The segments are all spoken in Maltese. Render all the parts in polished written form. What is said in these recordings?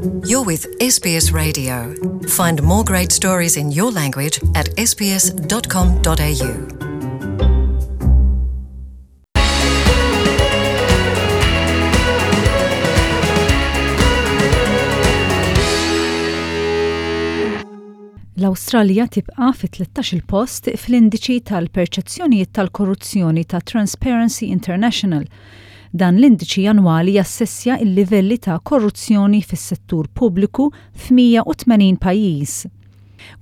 You're with SBS Radio. Find more great stories in your language at sbs.com.au. L-Awstralja tibqa' fit-13-il post fl-indiċi tal-perċezzjonijiet tal-korruzzjoni ta' Transparency International. Dan l-indiċi annwali jassessja l-livelli ta' korruzzjoni fis-settur pubbliku f'180 pajjiż.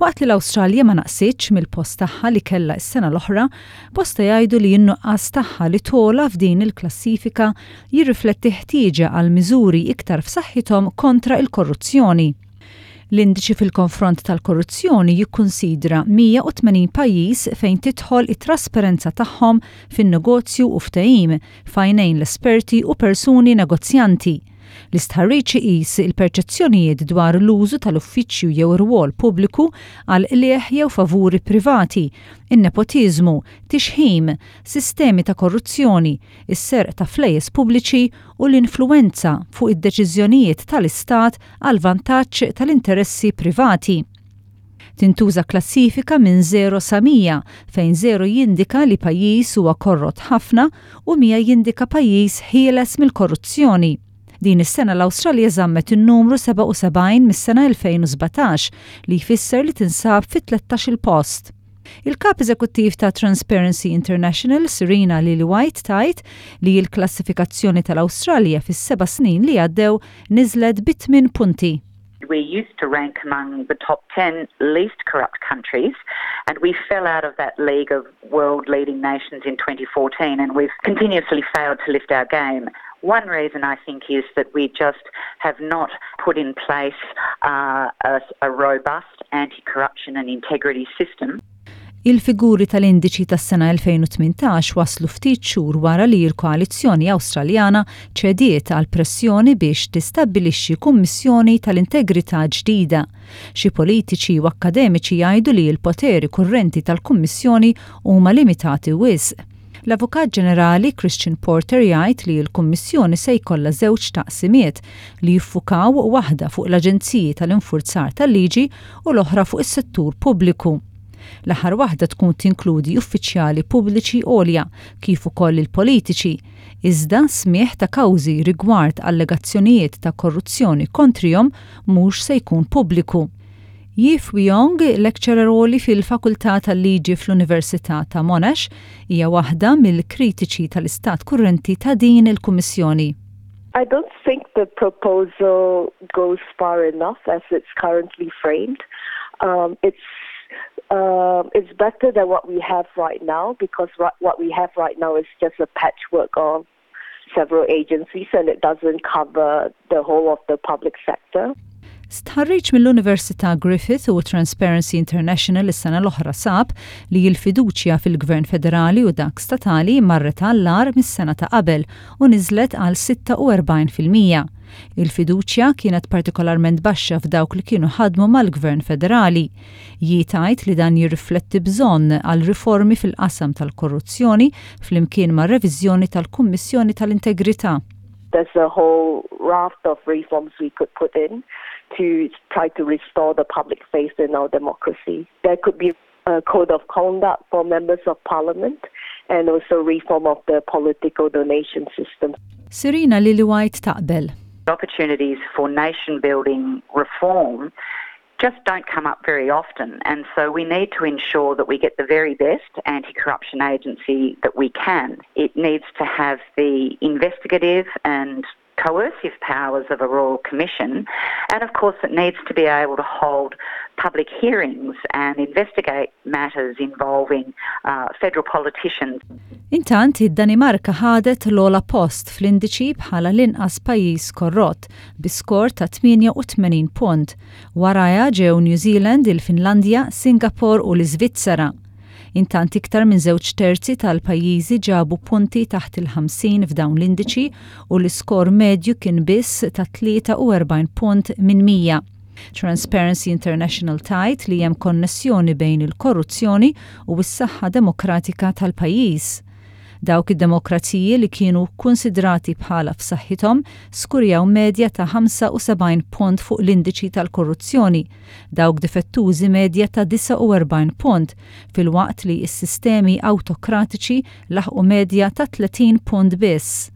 Waqt li l-Awstralja ma naqsitx mill-post tagħha li kellha s-sena l-oħra, bosta jgħidu li n-nuqqas tagħha li togħla f'din il-klassifika jirrifletti ħtieġa għal miżuri iktar f'saħħithom kontra l-korruzzjoni. L-indiċi fil-konfront tal-korruzzjoni jikkunsidra 180 pajjiż fejn tidħol it-trasparenza tagħhom fin-negozju u ftehim f'għajnejn l-esperti u persuni negozjanti. L-istħarriġ iqis il-perċezzjonijiet dwar l-użu tal-uffiċċju jew rwol pubbliku għal qligħ jew favuri privati, in-nepotiżmu, tixħim, sistemi ta' korruzzjoni, is-serq ta' flejjes pubbliċi u l-influwenza fuq id-deċiżjonijiet tal-Istat għall-vantaġġ tal-interessi privati. Tintuża klassifika minn żero sa 100, fejn żero jindika li pajjiż huwa korrott ħafna u 100 jindika pajjiż ħieles mill-korruzzjoni. Din is-sena l-Awstralja żammet in-numru 77 mis-sena 2017, li jfisser li tinsab fit-tlettax-il post. Il-Kap Eżekuttiv ta' Transparency International, Serena Lillywhite tgħid li l-klassifikazzjoni tal-Awstralja fis-seba' snin li għaddew niżlet bi tmien punti. We used to rank among the top 10 least corrupt countries and we fell out of that league of world leading nations in 2014 and we've continuously failed to lift our game. One reason I think is that we just have not put in place uh, a, a robust anti-corruption and integrity system. Il-figuri tal-indiċi tas-sena 2018 waslu ftit xhur wara li l-koalizzjoni Awstraljana ċediet għal pressjoni biex tistabbilixxi kummissjoni tal-integrità ġdida. Xi politiċi u akkademiċi jgħidu li l-poteri kurrenti tal-kummissjoni huma limitati wisq. L-Avukat Ġenerali Christian Porter jgħid li l-Kummissjoni se jkollha żewġ taqsimiet li jiffukaw waħda fuq l-aġenziji tal-infurzar tal-liġi u l-oħra fuq is-settur pubbliku. L-aħħar waħda tkun tinkludi uffiċjali pubbliċi għolja kif ukoll il-politiċi, iżda smigħ ta' kawżi rigward allegazzjonijiet ta' korruzzjoni kontrihom mhux se jkun pubbliku. Yi Fui-Yong, lecturer għoli fil-Fakultà tal-Liġi fl-Università ta' Monash, hija waħda mill-kritiċi tal-istat kurrenti ta' din il-Kummissjoni. I don't think the proposal goes far enough as it's currently framed. Um, it's uh, it's better than what we have right now because what we have right now is just a patchwork of several agencies and it doesn't cover the whole of the public sector. Stħarriġ mill-Università Griffith u Transparency International is-sena l-oħra sab li l-fiduċja fil-Gvern Federali u dak statali marret għall-agħar mis-sena ta' qabel u niżlet għal 46%. Il-fiduċja kienet partikolarment baxxa f'dawk li kienu ħadmu mal-Gvern Federali. Yi tgħid li dan jirrifletti bżonn għal riformi fil-qasam tal-korruzzjoni flimkien ma' reviżjoni tal-Kummissjoni tal-Integrità. There's a whole raft of reforms we could put in to try to restore the public faith in our democracy. There could be a code of conduct for members of parliament and also reform of the political donation system. Serena Lillywhite taqbel. Opportunities for nation building reform just don't come up very often. And so we need to ensure that we get the very best anti corruption agency that we can. It needs to have the investigative and coercive powers of a royal commission and of course it needs to be able to hold public hearings and investigate matters involving uh, federal politicians. Intant, id-Danimarka ħadet l-ogħla post fl-indiċi bħala l-inqas pajjiż korrott bi skor ta' 88 punt. Warajha ġew New Zealand, il-Finlandja, Singapore u l-Iżvizzera. Intant iktar minn żewġ terzi tal-pajjiżi ġabu punti taħt il-50 f'dawn l-indiċi u l-iskor medju kien biss ta' 43 punt minn 100. Transparency International tgħid li hemm konnessjoni bejn il-korruzzjoni u s-saħħa demokratika tal-pajjiż. Dawk id-demokraziji li kienu kkunsidrati bħala f'saħħithom skurjaw medja ta' 75 punt fuq l-indiċi tal-korruzzjoni, dawk difettużi medja ta' 49 punt, filwaqt li s-sistemi awtokratiċi laħqu medja ta' 30 punt biss.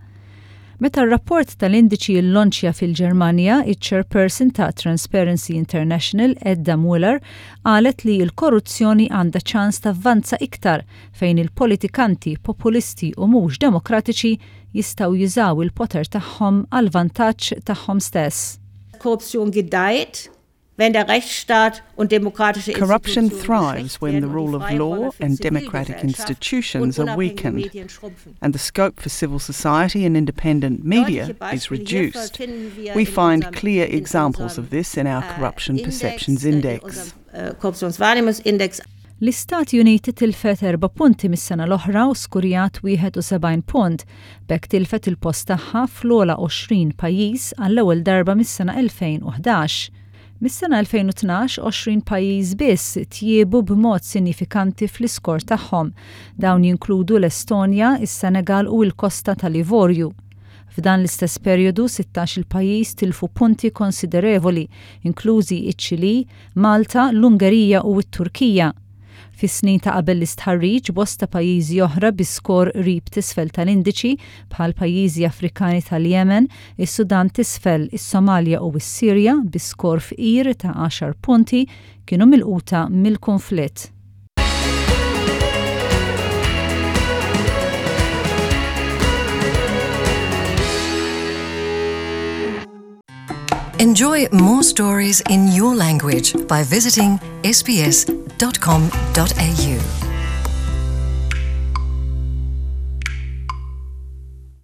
Meta r-rapport tal-indiċi llonċja fil-Ġermanja, iċ-chairperson ta' Transparency International, Edda Mueller, qalet li l-korruzzjoni għandha ċans tavvanza iktar fejn il-politikanti populisti u mhux demokratiċi jistgħu jużaw il-poter tagħhom għall-vantaġġ tagħhom stess. Korruption gedeiht, wenn der Rechtsstaat und demokratische Corruption Institutionen thrives geschwächt when the werden und die rule of Freiräume law für and democratic Zivilgesellschaft und institutions are unabhängige weakened Medien schrumpfen. and the scope for civil society and independent media Deutliche is Beispiele hierfür reduced. finden wir We in find unserem, clear in examples unserem of this in our äh, Corruption Index, Perceptions äh, in Index. unserem äh, Korruptionswahrnehmungsindex. L-Istati Uniti tilfet erba' punti mis-sena l-oħra u skurjat 71 punt, b'hekk tilfet il-post tagħha fl-ogħla 20 pajjiż għall-ewwel darba mis-sena 2011. Mis-sena 2012, 20 pajjiż biss tjiebu b'mod sinifikanti fl-iskor tagħhom. Dawn jinkludu l-Estonja, is-Senegal u l-Kosta tal-Ivorju. F'dan l-istess perjodu 16 il-pajjiż tilfu punti konsiderevoli, inklużi iċ-Ċili, Malta, l-Ungerija u t-Turkija. Fis-snin ta' qabel l-istħarriġ bosta pajjiżi oħra bi skor qrib t'isfel tal-indiċi bħal pajjiżi Afrikani tal-Jemen, is-Sudan t'isfel, is-Somalja u s-Sirja bi skor fqir ta' 10 punti kienu milquta mill-kunflitt. Enjoy more stories in your language by visiting sbs.com.au.